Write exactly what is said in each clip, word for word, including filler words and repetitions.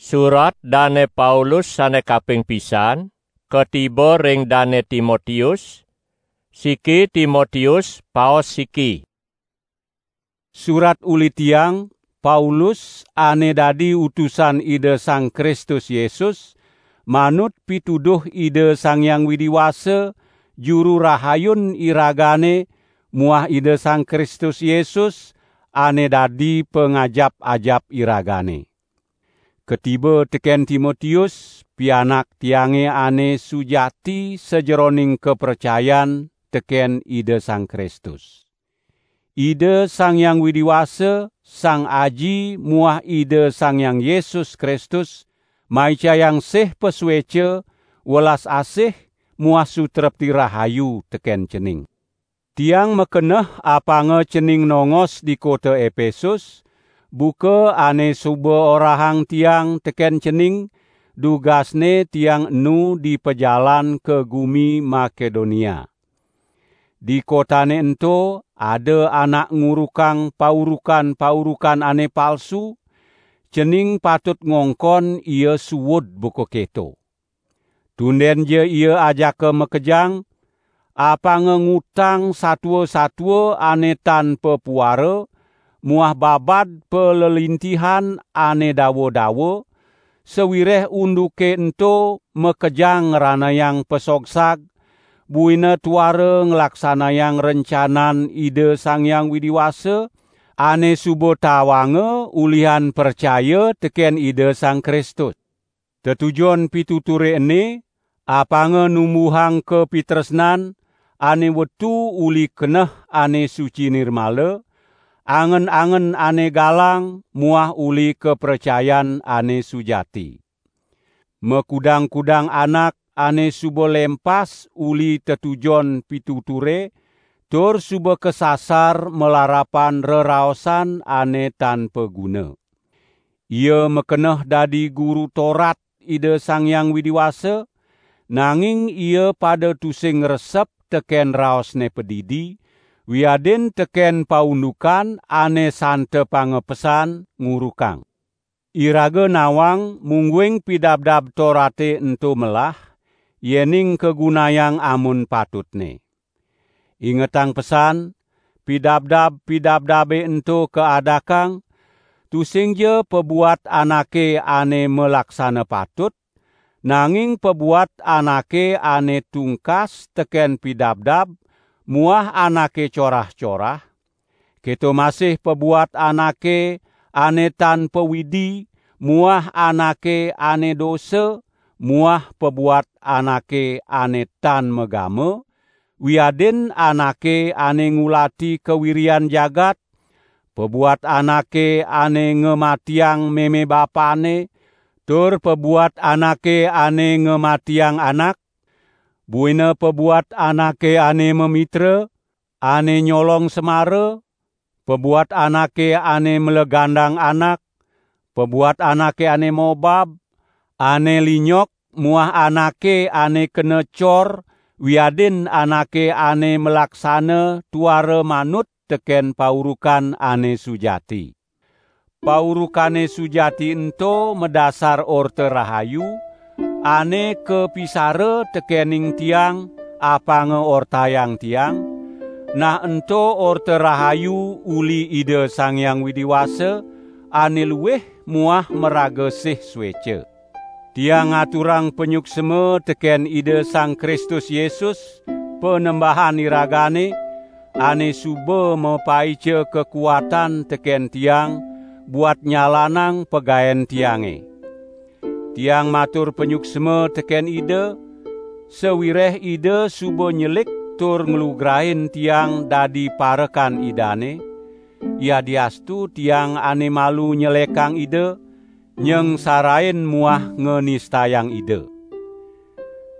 Surat Dane Paulus sane kaping pisan, katiba ring Dane Timotius, siki Timotius, paos siki. Surat uli tiang, Paulus, ane dadi utusan Ida Sang Kristus Yesus, manut pituduh Ida Sang Hyang Widi Wasa, Juru Rahayun iragane, muah Ida Sang Kristus Yesus, ane dadi pangajap-ajap iragane. Katiba teken Timotius, pianak tiange ane sujati sajeroning kapracayan teken Ida Sang Kristus. Ida Sang Hyang Widi Wasa, Sang Aji muah Ida Sang Hyang Yesus Kristus, maicayang sih pasueca, welas asih muah sutrepti rahayu teken cening. Tiang makeneh apanga cening nongos di kota Epesus, buka ane suba orahang tiang teken cening, dugasne tiang enu di pajalan ka gumi Makedonia. Di kotane ento ada anak ngurukang paurukan-paurukan ane palsu, cening patut ngongkon ia suud buka keto. Tundenja ia ajaka makejang, apanga ngutang satua-satua ane tan papuara, muah babad palelintihan ane dawa-dawa, sawireh unduke ento makejang ngranayang pasogsag, buina tuara nglaksanayang rencanan Ida Sang Hyang Widi Wasa, ane suba tawanga ulihan pracaya teken Ida Sang Kristus. Tetujon pituture ene, apanga numbuhang kapitresnan ane wetu uli keneh ane suci nirmala, angen-angen ane galang muah uli kapracayan ane sujati. Makudang-kudang anak ane suba lempas uli tetujon pituture, tur suba kasasar malarapan reraosan ane tan paguna. Ia makeneh dadi guru Torat Ida Sang Hyang Widi Wasa, nanging ia pada tusing ngresep teken raosne padidi, wiadin teken paundukan ane santepanga pesan ngurukang. Iraga nawang mungguing Pidabdab Torate ento melah, yening kagunayang amun patutne. Ingetang pesan, pidabdab-pidabdabe ento kaadakang, tusingja pabuat anake ane malaksana patut, nanging pabuat anake ane tungkas teken pidabdab muah anake corah-corah, keto masih pabuat anake ane tan pawidi muah anake ane dosa, muah pabuat anake ane tan magama, wiadin anake ane ngulati kawirian jagat, pabuat anake ane ngamatiang meme bapane, tur pabuat anake ane ngamatiang anak, buina pabuat anake ane mamitra, ane nyolong semara, pabuat anake ane malegandang anak, pabuat anake ane mobab, ane linyok, muah anake ane kena cor, wiadin anake ane malaksana tuara manut teken paurukan ane sujati. Paurukane sujati ento madasar Orta Rahayu, ane kapisara tekening tiang, apanga ortayang tiang, nah ento Orta Rahayu uli Ida Sang Hyang Widi Wasa, ane luih muah maraga sih sueca. Tiang ngaturang panyuksma teken Ida Sang Kristus Yesus, Panembahan iragane, ane suba mapaica kakuatan teken tiang buat nyalanang pagaen tiange. Tiang matur panyuksma teken Ida, sawireh Ida suba nyelik tur nglugrain tiang dadi parekan Idane, yadiastu tiang ane malu nyelekang Ida, nyengsarain muah nganistayang Ida.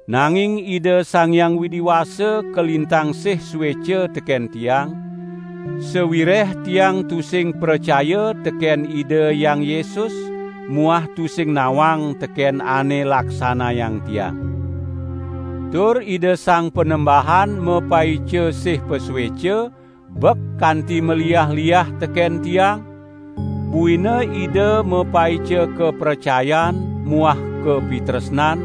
Nanging Ida Sang Hyang Widi Wasa kalintang sih sueca teken tiang, sawireh tiang tusing pracaya teken Ida Hyang Yesus muah tusing nawang teken ane laksanayang tiang. Tur Ida Sang Panembahan mapaica sih pasueca, bek kanti maliah-liah teken tiang, Buina Ida mapaica kapracayan muah kapitresnan,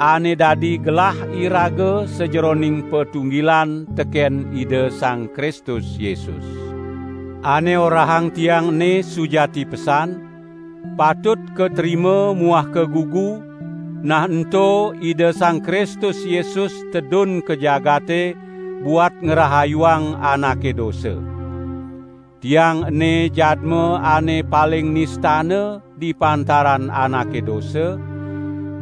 ane dadi gelah iraga sajeroning patunggilan teken Ida Sang Kristus Yesus. Ane orahang tiang ene sujati pesan, patut katrima muah kagugu, nah ento Ida Sang Kristus Yesus tedun ka jagate buat ngrahayuang anake dosa. Tiang ene jadma ane paling nistana di pantaran anake dosa,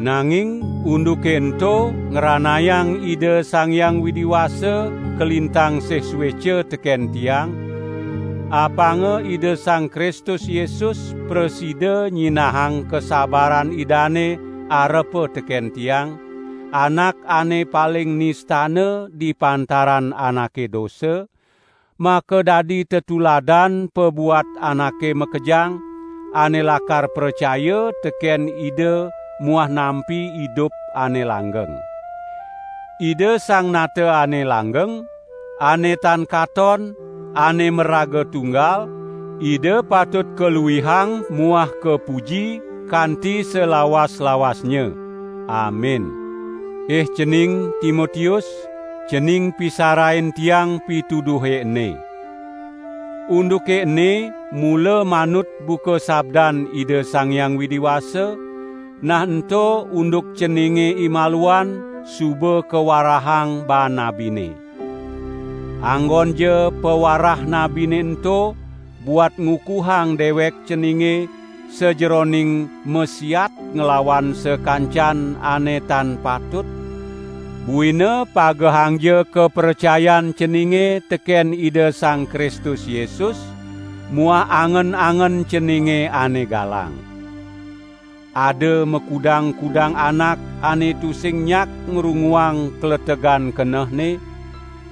nanging unduke ento ngranayang Ida Sang Hyang Widi Wasa kalintang sih sueca teken tiang, apanga Ida Sang Kristus Yesus prasida nyinahang kasabaran Idane arepa teken tiang, anak ane paling nistana di pantaran anake dosa, makadadi tetuladan pabuat anake makejang, ane lakar pracaya teken Ida muah nampi idup ane langgeng. Ida Sang Nata ane langgeng, ane tan katon, ane maraga tunggal, Ida patut kaluihang muah kapuji kanti salawas-lawasnya. Amin. Ih cening Timotius, cening pisarain tiang pituduhe ene. Unduke ene mula manut buka sabdan Ida Sang Hyang Widi Wasa, nah ento unduk ceninge imaluan suba kawarahang baan nabine. Anggonja pawarah nabine ento buat ngukuhang dewek ceninge sajeroning masiat nglawan sakancan ane tan patut, buina pagehangja kapracayan ceninge teken Ida Sang Kristus Yesus muah angen-angen ceninge ane galang. Ada makudang-kudang anak ane tusing nyak ngrunguang kletegan kenehne,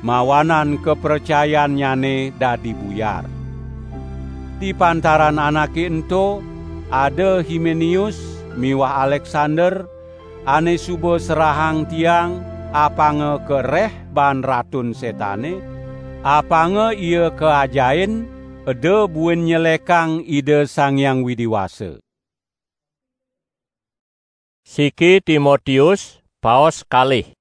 mawanan kapracayannyane dadi buyar. Di pantaran anake ento, ada Himenius miwah Aleksander, ane suba serahang tiang apanga kareh baan Ratun Setane, apanga ia kaajahin eda buin nyelekang Ida Sang Hyang Widi Wasa. Siki Timotius, paos kalih.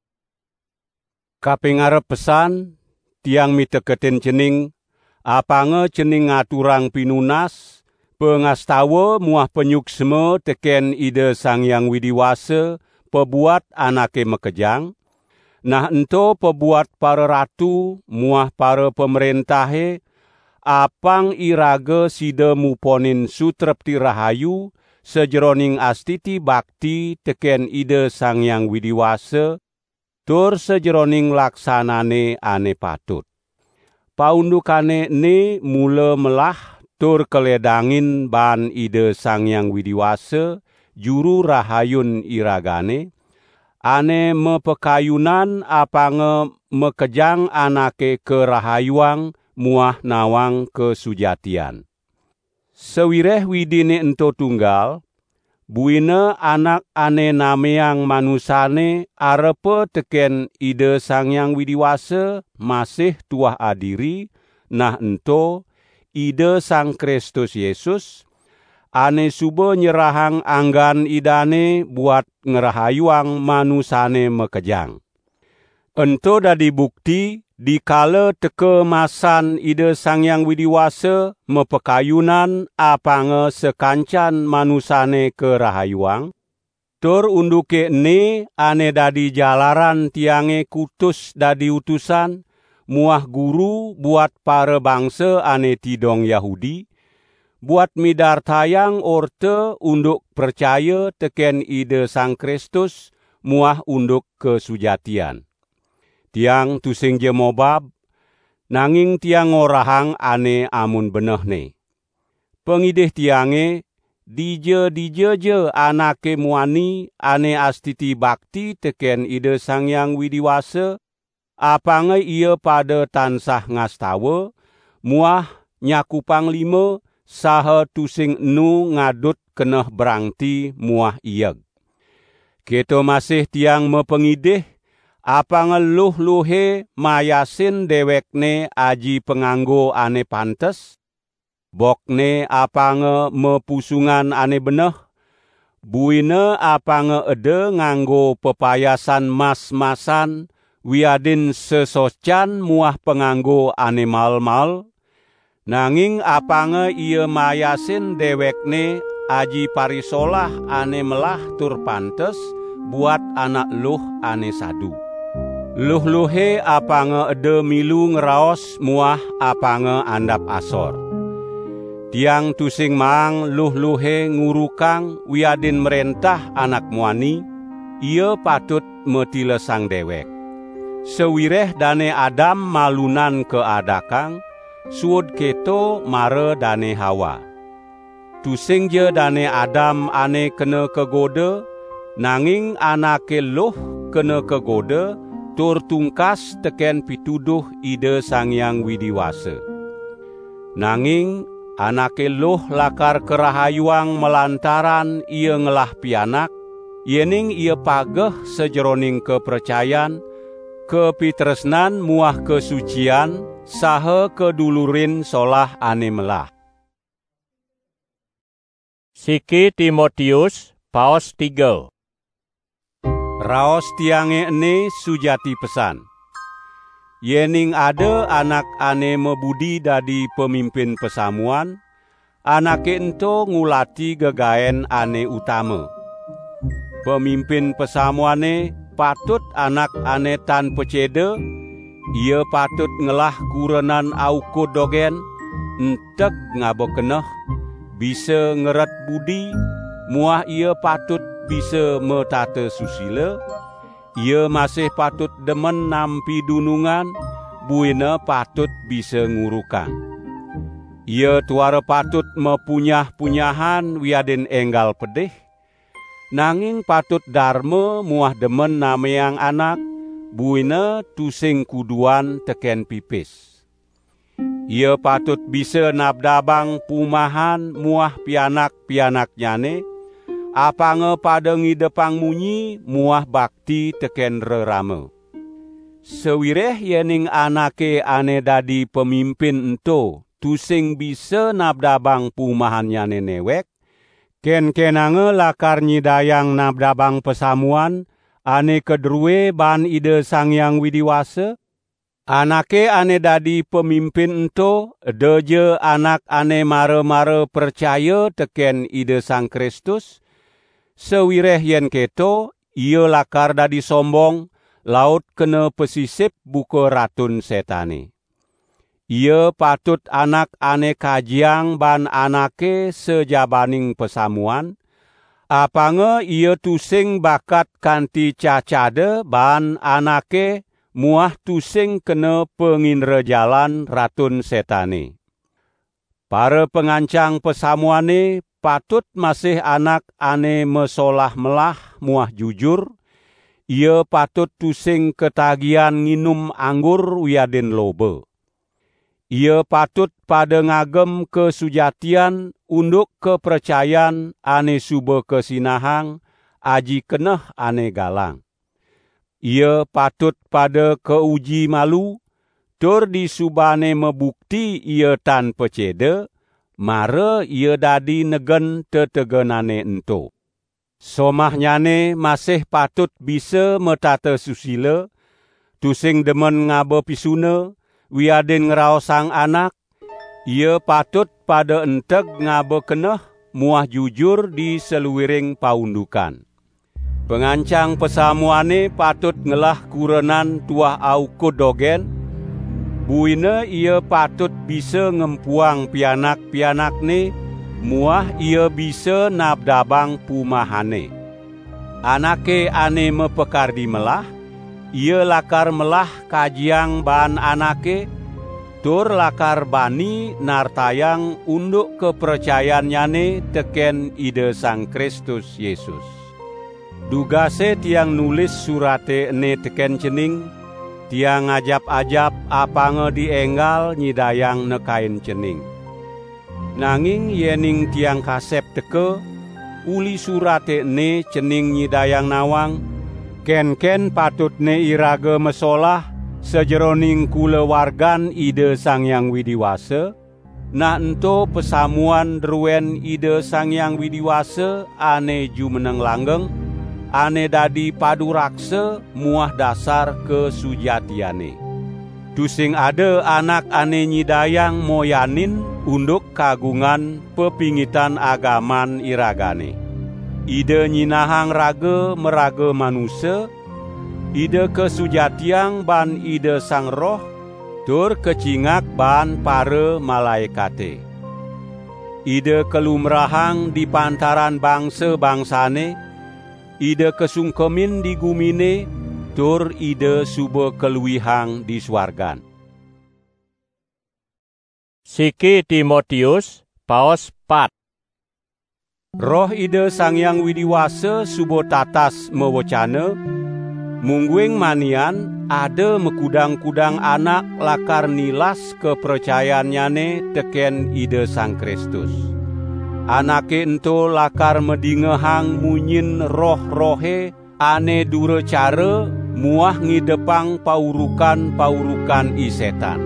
Kaping arep pesan, tiang miteketin cening, apanga cening ngaturang pinunas, pangastawa muah panyuksma teken Ida Sang Hyang Widi Wasa pabuat anake makejang, nah ento pabuat pararatu muah parapamrentahe, apang iraga sida muponin sutrepti rahayu sajeroning astiti bakti teken Ida Sang Hyang Widi Wasa, tur sajeroning laksanane ane patut. Paundukane ene mula melah tur kaledangin baan Ida Sang Hyang Widi Wasa, Juru Rahayun iragane, ane mapakayunan apanga makejang anake karahayuang muah nawang kasujatian. Sawireh Widine ento tunggal, buina anak ane nameang manusane arepa teken Ida Sang Hyang Widi Wasa masih tuah adiri, nah ento Ida Sang Kristus Yesus, ane suba nyerahang anggan Idane buat ngrahayuang manusane makejang. Ento dadi bukti, dikala teka masan Ida Sang Hyang Widi Wasa mapakayunan apanga sakancan manusane karahayuang, tur unduke ene ane dadi jalaran tiange kutus dadi utusan muah guru buat parabangsa ane tidong Yahudi, buat midartayang orta unduk pracaya teken Ida Sang Kristus muah unduk kasujatian. Tiang tusingja mobab, nanging tiang ngorahang ane amun benehne. Pangidih tiange, dija-dijaja anake muani ane astiti bakti teken Ida Sang Hyang Widi Wasa, apanga ia pada tansah ngastawa, muah nyakupang lima, saha tusing enu ngadut keneh brangti muah ieg. Keto masih tiang mapangidih, apanga luh-luhe mayasin dewekne aji panganggo ane pantes, Bokne apanga mapusungan ane beneh, buina apanga eda nganggo pepayasan mas-masan wiadin sesocan muah panganggo ane mael-mael, nanging apanga ia mayasin dewekne aji parisolah ane melah tur pantes buat anak luh ane sadu. Luh-luhe apanga eda milu ngraos muah apanga andap asor. Tiang tusing maang luh-luhe ngurukang wiadin mrentah anak muani, ia patut matilesang dewek. Sawireh Dane Adam malunan kaadakang, suud keto mara Dane Hawa. Tusingja Dane Adam ane kena kagoda, nanging anake luh kena kagoda tur tungkas teken pituduh Ida Sang Hyang Widi Wasa. Nanging anake luh lakar karahayuang malantaran ia ngelah pianak, yening ia pageh sajeroning kapracayan, kapitresnan muah kasucian, saha kadulurin solah ane melah. Siki Timotius, paos tiga. Raos tiange ene sujati pesan. Yening ada anak ane mabudi dadi pamimpin pasamuan, anake ento ngulati gegaen ane utama. Pamimpin pasamuane patut anak ane tan paceda, ia patut ngelah kurenan aukud dogen, enteg ngaba keneh, bisa ngeret budi, muah ia patut bisa matata susila, ia masih patut demen nampi dunungan, buina patut bisa ngurukang. Ia tuara patut mapunyah-punyahan wiadin enggal pedih, nanging patut darma muah demen nameang anak, buina tusing kuduan teken pipis. Ia patut bisa nabdabang pumahan muah pianak-pianaknyane, apanga pada ngidepang munyi muah bakti teken rerama. Sawireh yening anake ane dadi pamimpin ento tusing bisa nabdabang pumahannyane newek, kenkenanga lakar nyidayang nabdabang pasamuan ane kadrue baan Ida Sang Hyang Widi Wasa? Anake ane dadi pamimpin ento edaja anak ane mara-mara pracaya teken Ida Sang Kristus, sawireh yen keto, ia lakar dadi sombong, laut kena pasisip buka Ratun Setane. Ia patut anak ane kajiang baan anake sajabaning pasamuan, apanga ia tusing bakat kanti cacada baan anake muah tusing kena pangindrajalan Ratun Setane. Para pangancang pasamuane patut masih anak ane masolah melah muah jujur, ia patut tusing katagihan nginum anggur wiadin loba. Ia patut pada ngagem kasujatian unduk kapracayan ane suba kasinahang, aji keneh ane galang. Ia patut pada kauji malu, tur disubane mabukti ia tan paceda, mara ia dadi negen tetegenane ento. Somahnyane masih patut bisa matata susila, tusing demen ngaba pisuna, wiadin ngraosang anak, ia patut pada enteg ngaba keneh muah jujur di saluiring paundukan. Pangancang pasamuane patut ngelah kurenan tuah aukud dogen, buina ia patut bisa ngempuang pianak-pianakne, muah ia bisa nabdabang pumahane. Anake ane mapakardi melah, ia lakar melah kajiang baan anake, tur lakar bani nartayang unduk kapracayannyane teken Ida Sang Kristus Yesus. Dugase tiang nulis surate ene teken cening, tiang ajap-ajap apanga dienggal nyidayang nekain cening. Nanging yening tiang kasep teka, uli surate ene cening nyidayang nawang, kenken patutne iraga masolah sajeroning kulawargan Ida Sang Hyang Widi Wasa, Nah ento pasamuan druen Ida Sang Hyang Widi Wasa ane jumeneng langgeng, ane dadi paduraksa muah dasar kasujatiane. Tusing ada anak ane nyidayang moyanin unduk kagungan pepingitan agaman iragane. Ida nyinahang raga maraga manusa, Ida kasujatiang ban Ida Sang Roh, tur kacingak ban para malaekate. Ida kalumrahang di pantaran bangsa-bangsane, Ida kasungkemin di gumine, tur Ida suba kaluihang di suargan. Siki Timotius, paos pat. Roh Ida Sang Hyang Widi Wasa suba tatas mawecana, mungguing manian ada makudang-kudang anak lakar nilas kapracayannyane teken Ida Sang Kristus. Anake ento lakar madingehang munyin roh-rohe ane duracara muah ngidepang paurukan-paurukan i Setan.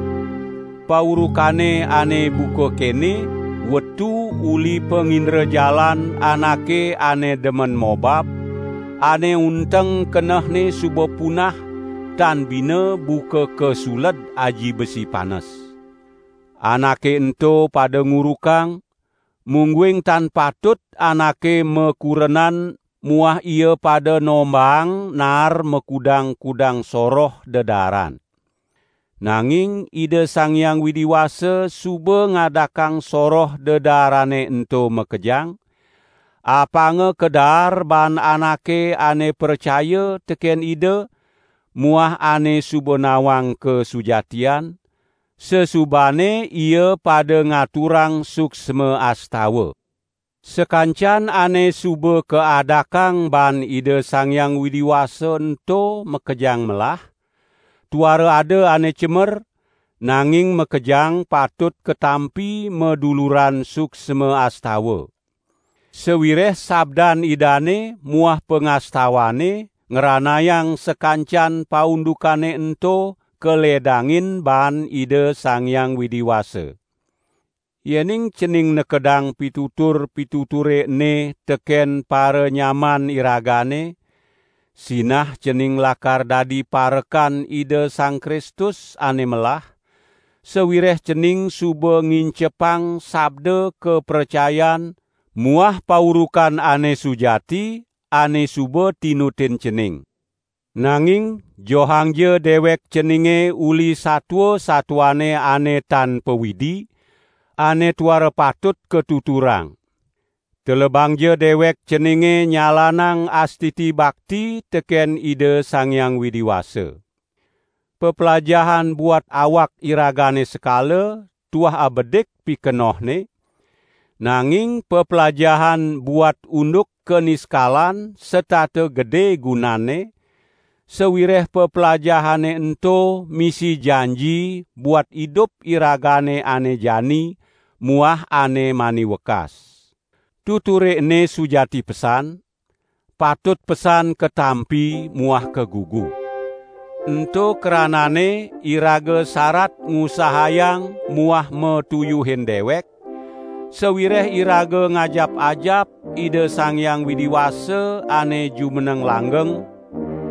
Paurukane ane buka kene, wetu uli pangindrajalan anake ane demen mobab, ane unteng kenehne suba punah, tan bina buka kasuled aji besi panes. Anake ento pada ngurukang, mungguing tan patut anake makurenan muah ia pada nombaang naar makudang-kudang soroh dedaaran. Nanging Ida Sang Hyang Widi Wasa suba ngadakang soroh dedaaranne ento makejang, apanga kadaar ban anake ane pracaya teken Ida muah ane suba nawang kasujatian, sasubane ia pada ngaturang suksma astawa. Sakancan ane suba kaadakang ban Ida Sang Hyang Widi Wasa ento makejang melah, tuara ada ane cemer, nanging makejang patut katampi maduluran suksma astawa. Sawireh sabdan Idane muah pangastawane ngranayang sakancan paundukane ento kaledangin ban Ida Sang Hyang Widi Wasa. Yening cening nekedang pitutur-pituture ene teken paranyaman iragane, sinah cening lakar dadi parekan Ida Sang Kristus ane melah, sawireh cening suba ngincepang sabda kapracayan muah paurukan ane sujati ane suba tinutin cening. Nanging johangja dewek ceninge uli satua-satuane ane tan pawidi, ane tuara patut katuturang. Telebangja dewek ceninge nyalanang astiti bakti teken Ida Sang Hyang Widi Wasa. Peplajahan buat awak iragane sekala tuah abedik pikenohne, nanging peplajahan buat unduk kaniskalan setata gede gunanne, sawireh peplajahane ento misi janji buat idup iragane ane jani muah ane mani wekas. Tuture ene sujati pesan, patut pesan katampi muah kagugu. Ento kranane iraga sarat ngusahayang muah matuyuhin dewek, sawireh iraga ngajap-ajap Ida Sang Hyang Widi Wasa ane jumeneng langgeng,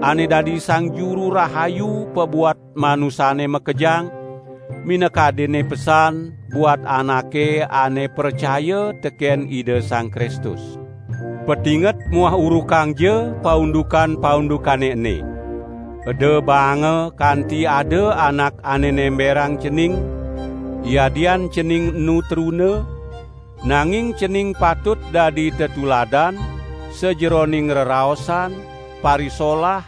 ane dadi Sang Juru Rahayu pabuat manusane makejang, minakadinne pesan buat anake ane pracaya teken Ida Sang Kristus. Patinget muah urukangja paundukan-paundukane ene. Eda baanga kanti ada anak ane nemberang cening, yadian cening enu truna, nanging cening patut dadi tetuladan sajeroning reraosan, parisolah,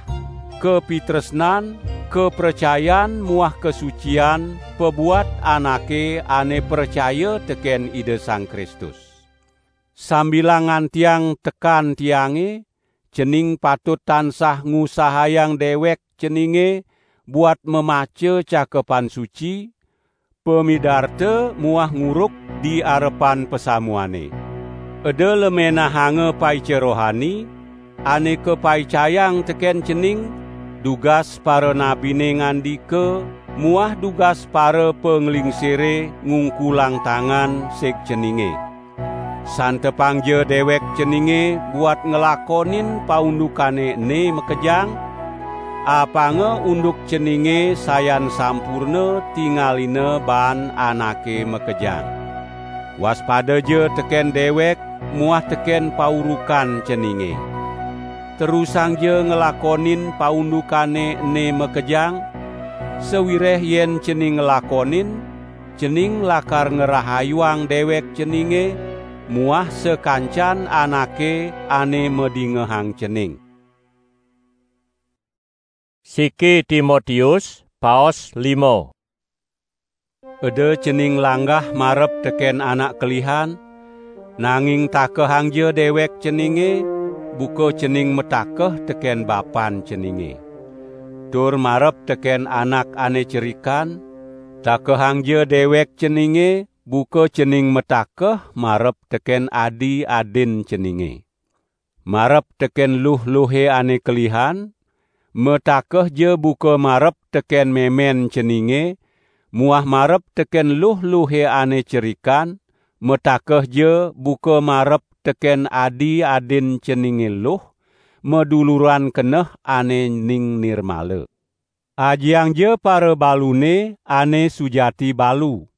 kapitresnan, kapracayan muah kasucian pabuat anake ane pracaya teken Ida Sang Kristus. Sambilang ngantiang tekan tiange, cening patut tansah ngusahayang dewek ceninge buat mamaca Cakepan Suci, pamidarta muah nguruk di arepan pasamuane. Eda lemenahanga paica rohani, ane kapaicayang teken cening, dugas paranabine ngandika, muah dugas para panglingsire ngungkulang tangan sig ceninge. Santepangja dewek ceninge buat nglakonin paundukane ene makejang, apanga unduk ceninge sayan sampurna tingalina baan anake makejang. Waspadaja teken dewek muah teken paurukan ceninge. Terusangja nglakonin paundukane ene makejang, sawireh yen cening nglakonin, cening lakar ngrahayuang dewek ceninge muah sakancan anake ane madingehang cening. Siki Timotius, paos lima. Eda cening langgah marep teken anak kelihan, nanging takehangja dewek ceninge, buka cening matakeh teken bapan ceninge. Tur marep teken anak ane cerikan, takehangja dewek ceninge, buka cening matakeh marep teken adi-adin ceninge. Marep teken luh-luhe ane kelihan, matakehja buka marep teken memen ceninge, muah marep teken luh-luhe ane cerikan, matakehja buka marep teken adi-adin ceninge luh, maduluran keneh ane ning nirmala. Ajiangja parabalune ane sujati balu.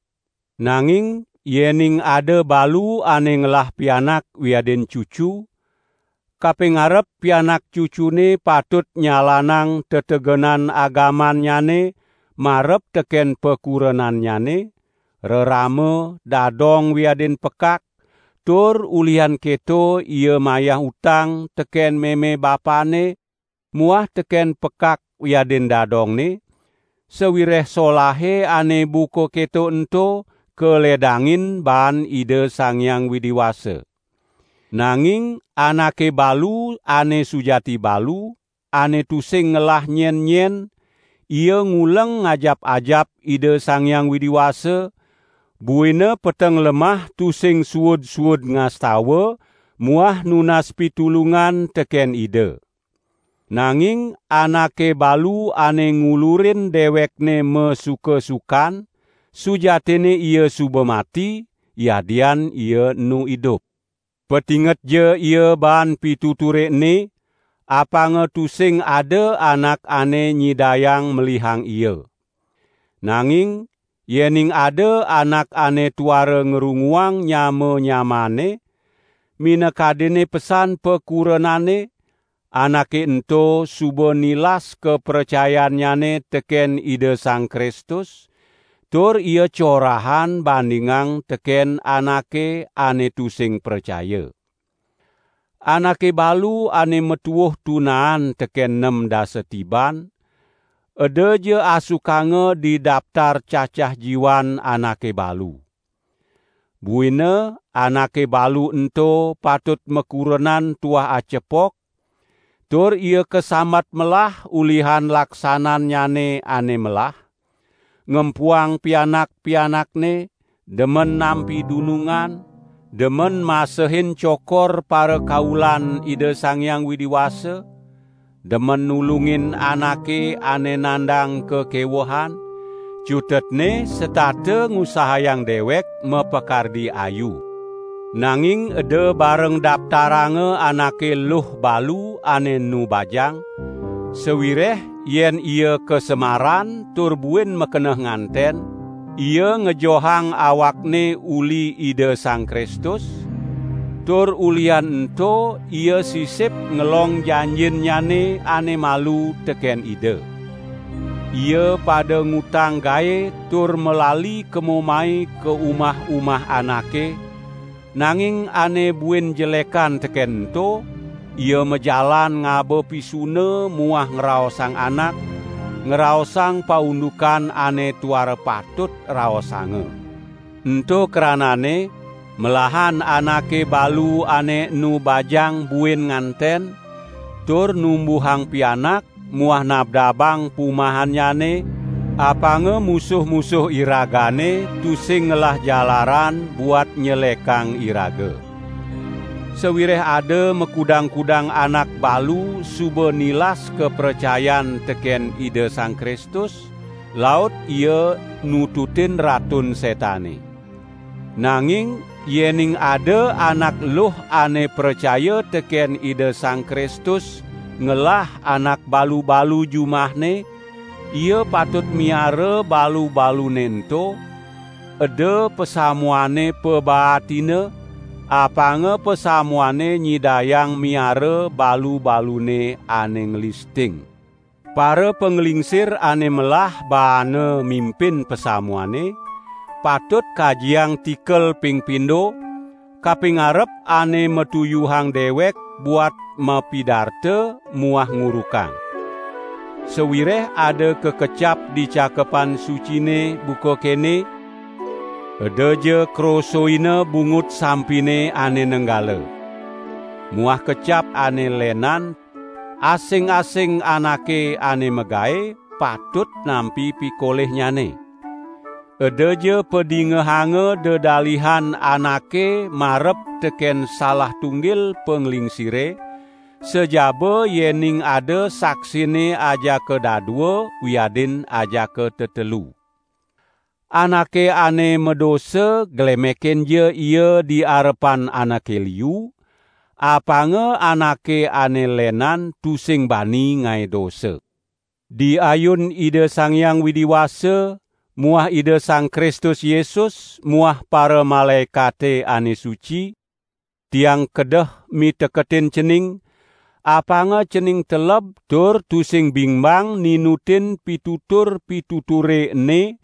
Nanging yening ada balu ane ngelah pianak wiadin cucu, kaping arep pianak cucune patut nyalanang tetegenan agamannyane marep teken pakurenannyane, rerama, dadong wiadin pekak, tur ulihan keto ia mayah utang teken meme bapane, muah teken pekak wiadin dadongne, sawireh solahe ane buka keto ento kaledangin baan Ida Sang Hyang Widi Wasa. Nanging anake balu ane sujati balu, ane tusing ngelah nyen-nyen, ia nguleng ngajap-ajap Ida Sang Hyang Widi Wasa, buina peteng lemah tusing suud-suud ngastawa muah nunas pitulungan teken Ida. Nanging anake balu ane ngulurin dewekne masuka-sukan, sujatinne ia suba mati, yadian ia enu idup. Patingetja ia baan pituture ene, apanga tusing ada anak ane nyidayang melihang ia. Nanging yening ada anak ane tuara ngrunguang nyama-nyamane, minakadinne pesan pakurenanne, anake ento suba nilas kapracayannyane teken Ida Sang Kristus, tur ia corahan bandingang teken anake ane tusing pracaya. Anake balu ane matuuh tunaan teken nem dasa tiban, edaja asukanga di daptar cacah jiwan anake balu. Buina anake balu ento patut makurenan tuah acepok, tur ia kasambat melah ulihan laksanannyane ane melah, ngempuang pianak-pianakne, demen nampi dunungan, demen masehin cokor parakaulan Ida Sang Hyang Widi Wasa, demen nulungin anake ane nandang kakewehan, cutetne setata ngusahayang dewek mapakardi ayu. Nanging eda bareng daptaranga anake luh balu ane enu bajang, sawireh yen ia kasemaran tur buin makeneh nganten, ia ngejohang awakne uli Ida Sang Kristus, tur ulihan ento ia sisip ngelong janjinnyane ane malu teken Ida. Ia pada ngutang gae tur malali kemo mai ka umah-umah anake, nanging ane buin jelekan teken ento, ia majalan ngaba pisuna muah ngraosang anak, ngraosang paundukan ane tuara patut raosanga. Ento kranane, melahan anake balu ane enu bajang buin nganten, tur numbuhang pianak, muah nabdabang pumahannyane, apanga musuh-musuh iragane tusing ngelah jalaran buat nyelekang iraga. Sawireh ada makudang-kudang anak balu suba nilas kapracayan teken Ida Sang Kristus, laut ia nututin Ratun Setane. Nanging yening ada anak luh ane pracaya teken Ida Sang Kristus ngelah anak balu-balu jumahne, ia patut miara balu-balune ento, eda pasamuane pabaatina, apanga pasamuane nyidayang miara balu-balune ane nglisting. Para panglingsir ane melah baana mimpin pasamuane patut kajiang tikel ping pindo, kapingarep ane matuyuhang dewek buat mapidarta muah ngurukang. Sawireh ada kakecap di Cakepan Sucine buka kene, "Edaja krosoina bungut sampine ane nenggala." Muah kecap ane lenan, "Asing-asing anake ane magae patut nampi pikolihnyane." Edaja padingehanga dedalihan anake marep teken salah tunggil panglingsire, sajaba yening ada saksine ajaka dadua wiadin ajaka tetelu. Anake ane madosa glemekenja ia di arepan anake liu, apanga anake ane lenan tusing bani ngae dosa. Di ayun Ida Sang Hyang Widi Wasa muah Ida Sang Kristus Yesus muah para malaekate ane suci, tiang kedeh miteketin cening, apanga cening teleb tur tusing bingbang ninutin pitutur-pituture ene,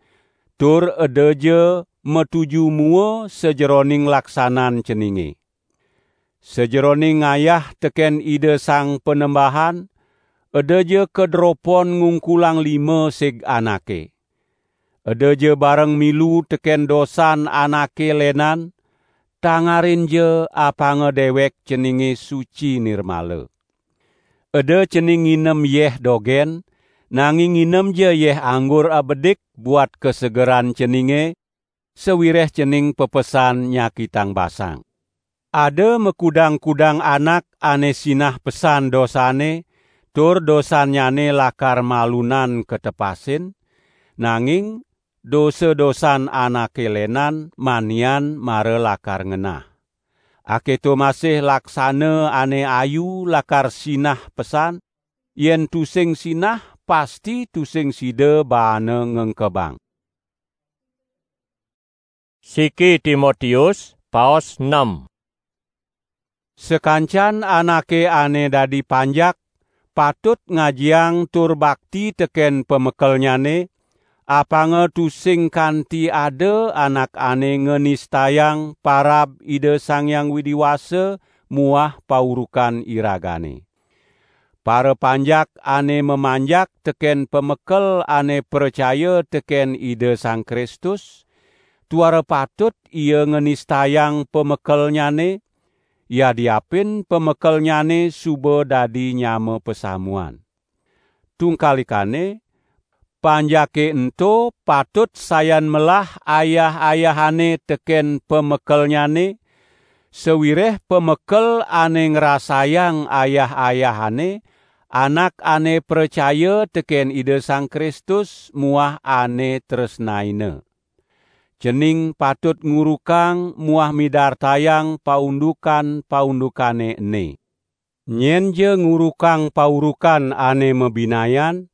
tur edaja matuju mua sajeroning laksanan ceninge. Sajeroning ngayah teken Ida Sang Panembahan, edaja kadropon ngungkulang lima sig anake. Edaja bareng milu teken dosan anake lenan, tangarinja apanga dewek ceninge suci nirmala. Eda cening nginem yeh dogen, nanging nginemja yeh anggur abedik buat kasegeran ceninge, sawireh cening pepesan nyakitang basang. Ada makudang-kudang anak ane sinah pesan dosane, tur dosannyane lakar malunan katepasin, nanging dosa-dosan anake lenan manian mara lakar ngenah. Aketo masih laksana ane ayu lakar sinah pesan, yen tusing sinah pasti tusing sida baana ngengkebang. Siki Timotius, paos enam. Sakancan anake ane dadi panjak patut ngajiang tur bakti teken pamekelnyane, apanga tusing kanti ada anak ane nganistayang parab Ida Sang Hyang Widi Wasa muah paurukan iragane. Para panjak ane mamanjak teken pamekel ane pracaya teken Ida Sang Kristus, tuara patut ia nganistayang pamekelnyane, yadiapin pamekelnyane suba dadi nyama pasamuan. Tungkalikane, panjake ento patut sayan melah ayah-ayahane teken pamekelnyane, sawireh pamekel ane ngrasayang ayah-ayahane, anak ane pracaya teken Ida Sang Kristus muah ane tresnaina. Cening patut ngurukang muah midartayang paundukan-paundukane ene. Nyenja ngurukang paurukan ane mabinayan,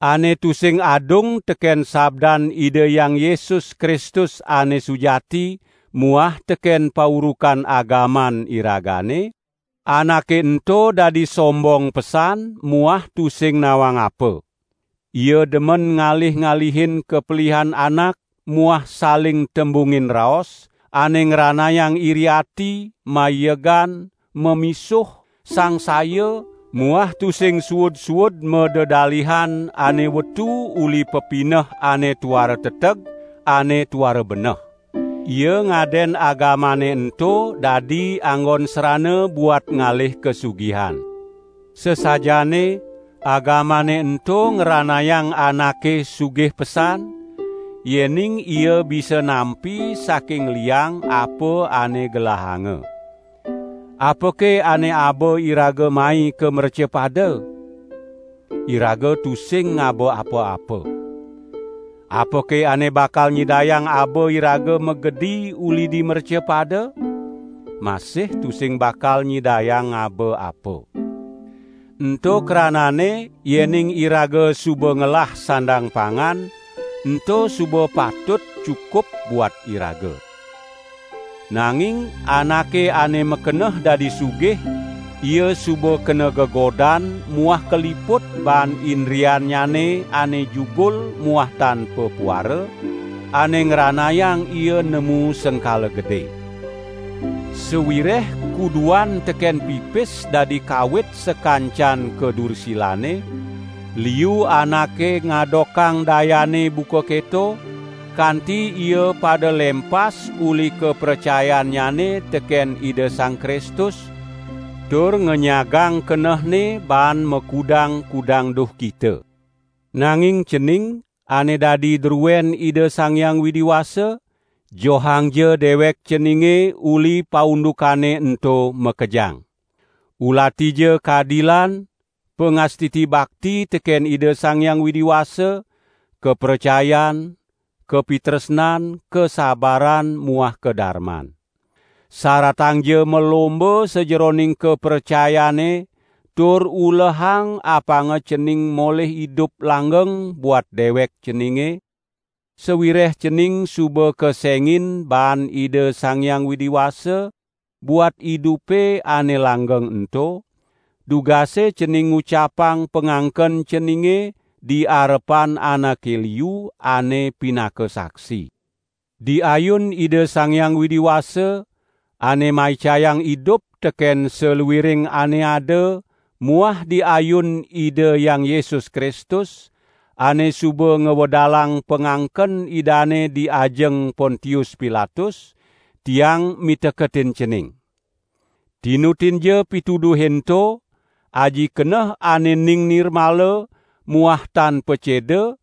ane tusing adung teken sabdan Ida Hyang Yesus Kristus ane sujati muah teken paurukan agaman iragane, anake ento dadi sombong pesan muah tusing nawang apa. Ia demen ngalih-ngalihin kapelihan anak muah saling tembungin raos, ane ngranayang iri ati, maiegan, mamisuh, sangsaya, muah tusing suud-suud madedalihan ane wetu uli pepineh ane tuara teteg, ane tuara beneh. Ia ngaden agamane ento dadi anggon serana buat ngalih kasugihan. Sesajane agamane ento ngranayang anake sugih pesan, yening ia bisa nampi saking liang apa ane gelahanga. Apake ane aba iraga mai ka mrecapada? Iraga tusing ngaba apa-apa. Apake ane bakal nyidayang aba iraga magedi uli di mercapada? Masih tusing bakal nyidayang ngaba apa. Ento kranane, yening iraga suba ngelah sandang pangan, ento suba patut cukup buat iraga. Nanging anake ane makeneh dadi sugih, ia suba kena gegodan muah kaliput baan indriannyane ane jugul muah tan pepuara, ane ngranayang ia nemu sengkala gede. Sawireh kuduan teken pipis dadi kawit sakancan kadursilane, liu anake ngadokang dayane buka keto, kanti ia pada lempas uli kapracayannyane teken Ida Sang Kristus, tur ngenyagang kenehne baan makudang-kudang duhkita. Nanging cening, ane dadi druen Ida Sang Hyang Widi Wasa, johangja dewek ceninge uli paundukane ento makejang. Ulatija kadilan, pangastiti bakti teken Ida Sang Hyang Widi Wasa, kapracayan, kapitresnan, kasabaran, muah kadarman. Saratangja malomba sajeroning kapracayane, tur ulehang apanga cening molih idup langgeng buat dewek ceninge, sawireh cening suba kesengin baan Ida Sang Hyang Widi Wasa buat idupe ane langgeng ento, dugase cening ngucapang pangangken ceninge di arepan anake liu ane pinaka saksi. Di ayun Ida Sang Hyang Widi Wasa, ane maicayang idup teken saluiring ane ada, muah di ayun Ida Hyang Yesus Kristus, ane suba ngwedalang pangangken Idane di ajeng Pontius Pilatus, tiang miteketin cening. Tinutinja pituduhe ento, aji keneh ane ning nirmala muah tan paceda,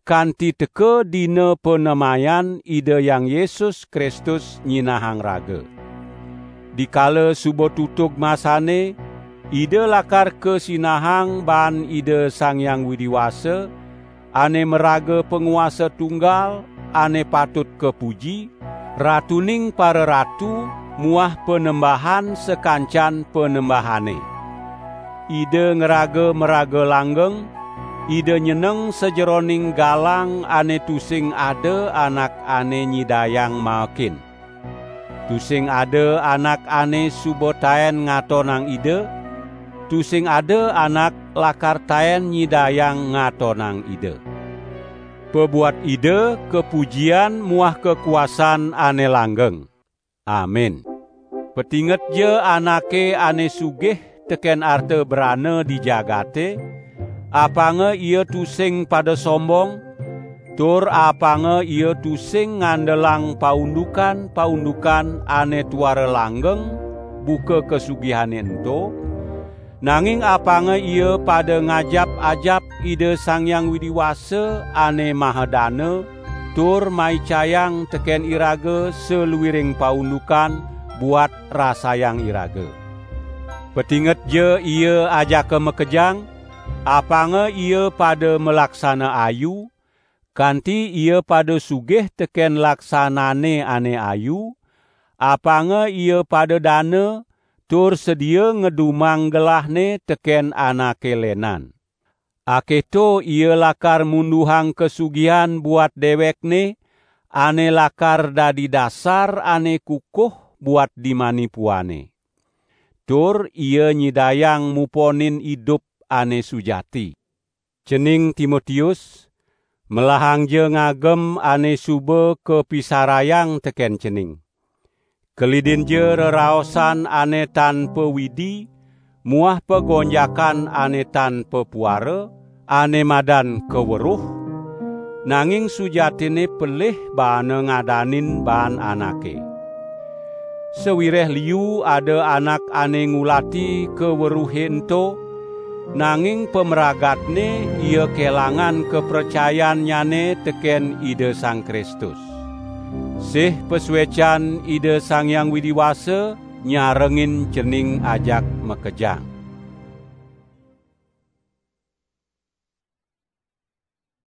kanti teka dina panemayan Ida Hyang Yesus Kristus nyinahang raga. Dikala suba tutug masane, Ida lakar kasinahang baan Ida Sang Hyang Widi Wasa, ane maraga panguasa tunggal, ane patut kapuji, Ratuning pararatu muah Panembahan sakancan panembahane. Ida ngraga maraga langgeng, Ida nyeneng sajeroning galang ane tusing ada anak ane nyidayang maekin. Tusing ada anak ane suba taen ngatonang Ida, tusing ada anak lakar taen nyidayang ngatonang Ida. Pabuat Ida kapujian muah kakuasan ane langgeng. Amin. Patingetja anake ane sugih teken arta brana di jagate, apanga ia tusing pada sombong, tur apanga ia tusing ngandelang paundukan-paundukan ane tuara langgeng buka kasugihane ento, nanging apanga ia pada ngajap-ajap Ida Sang Hyang Widi Wasa ane Mahadana, tur maicayang teken iraga saluiring paundukan buat rasayang iraga. Patingetja ia ajaka makejang, apanga ia pada malaksana ayu, kanti ia pada sugih teken laksanane ane ayu, apanga ia pada dana, tur sedia ngedumang gelahne teken anake lenan. Aketo ia lakar munduhang kasugihan buat dewekne, ane lakar dadi dasar ane kukuh buat di manipuane. Tur ia nyidayang muponin idup ane sujati. Cening Timotius, melahangja ngagem ane suba kapisarayang teken cening. Kelidinja reraosan ane tan pawidi muah pagonjakan ane tan papuara, ane madan kaweruh, nanging sujatine pelih baana ngadanin baan anake. Sawireh liu ada anak ane ngulati kaweruhe ento, nanging pamragatne ia kelangan kapracayannyane teken Ida Sang Kristus. Sih pasuecan Ida Sang Hyang Widi Wasa nyarengin cening ajak makejang.